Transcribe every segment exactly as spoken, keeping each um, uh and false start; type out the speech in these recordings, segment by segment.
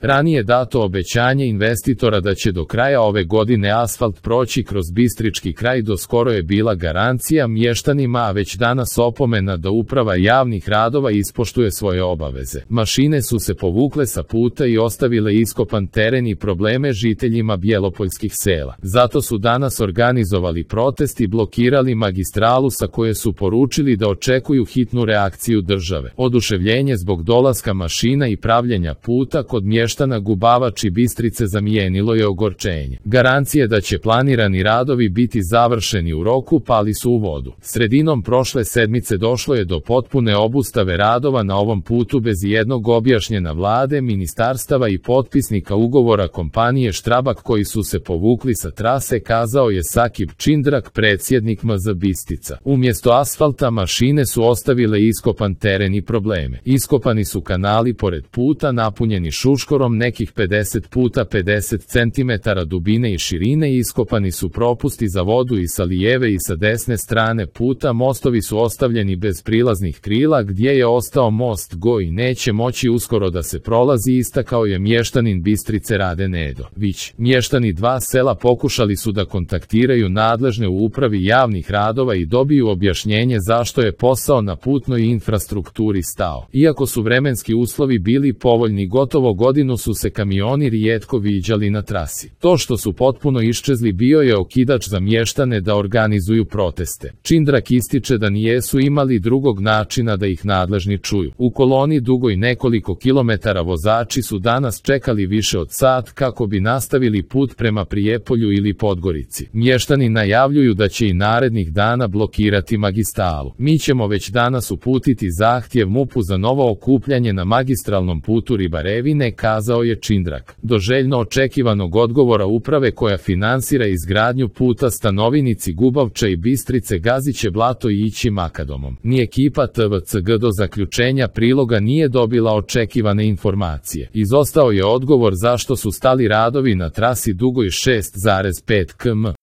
Ranije dato obećanje investitora da će do kraja ove godine asfalt proći kroz bistrički kraj do skoro je bila garancija mještanima, a već danas opomena da uprava javnih radova ispoštuje svoje obaveze. Mašine su se povukle sa puta i ostavile iskopan teren i probleme žiteljima bjelopoljskih sela. Zato su danas organizovali protest i blokirali magistralu sa koje su poručili da očekuju hitnu reakciju države. Oduševljenje zbog dolaska mašina i pravljenja puta kod mještana Gubavač i Bistrice zamijenilo je ogorčenje. Garancije da će planirani radovi biti završeni u roku pali su u vodu. Sredinom prošle sedmice došlo je do potpune obustave radova na ovom putu bez jednog objašnjena vlade, ministarstava i potpisnika ugovora kompanije Štrabak koji su se povukli sa trase, kazao je Sakib Čindrak, predsjednik M Z Bistica. Umjesto asfalta mašine su ostavile iskopan teren i probleme. Iskopani su kanali pored puta napunjeni šuškorom nekih pedeset puta pedeset centimetara dubine i širine, iskopani su propusti za vodu i sa lijeve i sa desne strane puta, mostovi su ostavljeni bez prilaznih krila gdje je ostao most go i neće moći uskoro da se prolazi, istakao je mještanin Bistrice Rade Nedo Vić. Mještani dva sela pokušali su da kontaktiraju nadležne u upravi javnih radova i dobiju objašnjenje zašto je posao na putnoj infrastrukturi stao. Iako su vremenski uslovi bili povoljni, gotovo godinu su se kamioni rijetko viđali na trasi. To što su potpuno iščezli bio je okidač za mještane da organizuju proteste. Čindrak ističe da nijesu imali drugog načina da ih nadležni čuju. U koloni dugoj nekoliko kilometara vozači su danas čekali više od sat kako bi nastavili put prema Prijepolju ili Podgorici. Mještani najavljuju da će i narednih dana blokirati magistralu. Mi ćemo već danas uputiti zahtjev M U P-u za novo okupljanje na magistralnom putu Ribarevine, kazao je Čindrak. Do željno očekivanog odgovora uprave koja finansira izgradnju puta Stanovinici Gubavča i Bistrice gaziće blato i ići Makadomom. Ni ekipa T V C G do zaključenja priloga nije dobila očekivane informacije. Izostao je odgovor zašto su stali radovi na trasi dugoj šest zarez pet kilometara.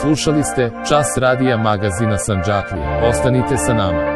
Slušali ste Čas radija magazina Sandžaklije. Ostanite sa nama.